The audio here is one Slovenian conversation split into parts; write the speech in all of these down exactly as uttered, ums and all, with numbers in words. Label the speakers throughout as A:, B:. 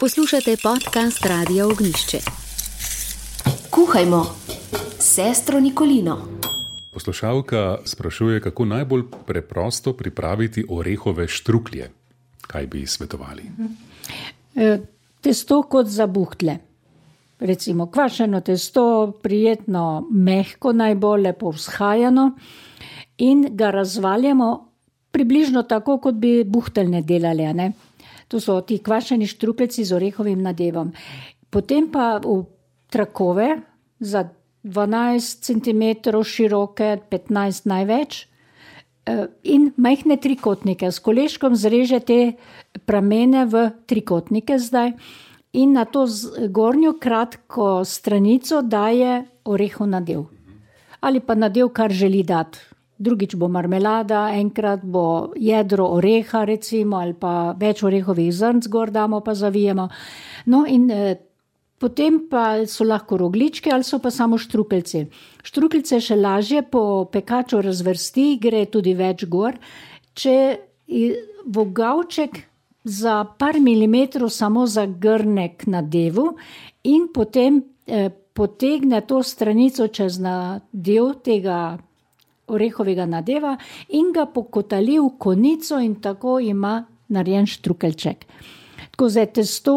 A: Poslušate podcast Radia Ognjišče.
B: Kuhajmo s sestro Nikolino.
C: Poslušalka sprašuje, kako najbolj preprosto pripraviti orehove štruklje. Kaj bi svetovali?
D: E, testo kot za buhtle. Recimo kvašeno testo, prijetno mehko, najbolj lepo vzhajano in ga razvaljamo približno tako, kot bi buhteljne delali, ne? To so ti kvašeni štrukeljci z orehovim nadevom. Potem pa v trakove za dvanajst centimetrov široke, petnajst največ, in majhne trikotnike. S koleškom zreže te pramene v trikotnike zdaj in na to zgornjo kratko stranico daje orehov nadev. Ali pa nadev, kar želi dati. Drugič bo marmelada, enkrat bo jedro oreha recimo, ali pa več orehovih zrnc gor damo pa zavijemo. No in eh, potem pa so lahko rogljičke ali so pa samo štrukeljci. Štrukeljce še lažje po pekaču razvrsti, gre tudi več gor. Če vogavček za par milimetrov samo zagrne k nadevu in potem eh, potegne to stranico čez nadev tega orehovega nadeva in ga pokotali v konico in tako ima narejen štrukeljček. Tako zdaj testo,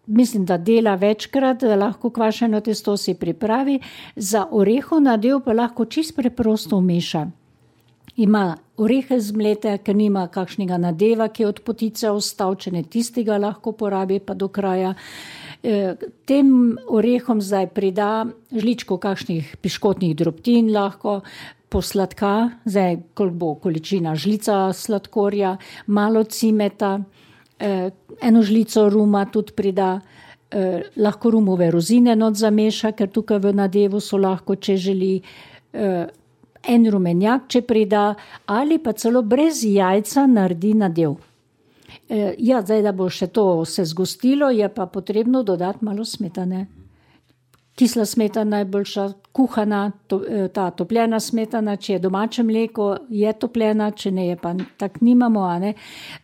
D: mislim, da dela večkrat, da lahko kvašeno testo si pripravi, za orehov nadev pa lahko čisto preprosto vmeša. Ima orehe zmlete, ker nima kakšnega nadeva, ki je od potice ostal, če ne tistega lahko porabi pa do kraja. E, tem orehom zdaj prida žličko kakšnih piškotnih drobtin lahko, posladka, zdaj koliko bo količina, žlica sladkorja, malo cimeta, eh, eno žlico ruma tudi prida, eh, lahko rumove rozine not zameša, ker tukaj v nadevu so lahko, če želi, eh, en rumenjak, če prida, ali pa celo brez jajca naredi nadev. Eh, ja, zdaj, da bo še to se zgostilo, je pa potrebno dodati malo smetane. Kisla smetana najboljša, kuhana, to, ta topljena smetana, če je domače mleko, je topljena, če ne je pa tak nimamo, a ne.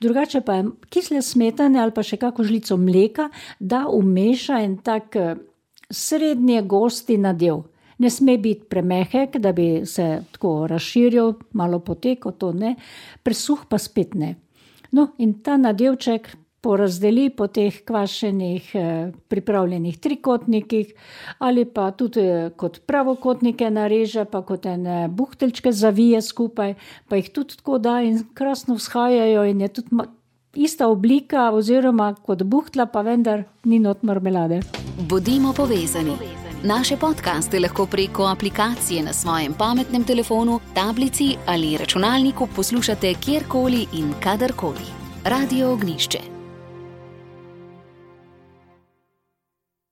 D: Drugače pa je kisle smetane ali pa še kako žlico mleka, da umeša en tak srednje gosti nadev. Ne sme biti premehek, da bi se tako razširil, malo poteko, to ne, presuh pa spet ne. No in ta nadevček porazdeli po teh kvašenih eh, pripravljenih trikotnikih ali pa tudi eh, kot pravokotnike nareže, pa kot ene buhteljčke zavije skupaj, pa jih tudi tako da in krasno vzhajajo in je tudi ma- ista oblika oziroma kot buhtla, pa vendar ni not marmelade.
A: Bodimo povezani. Naše podcaste lahko preko aplikacije na svojem pametnem telefonu, tablici ali računalniku poslušate kjerkoli in kadarkoli. Radio Ognjišče.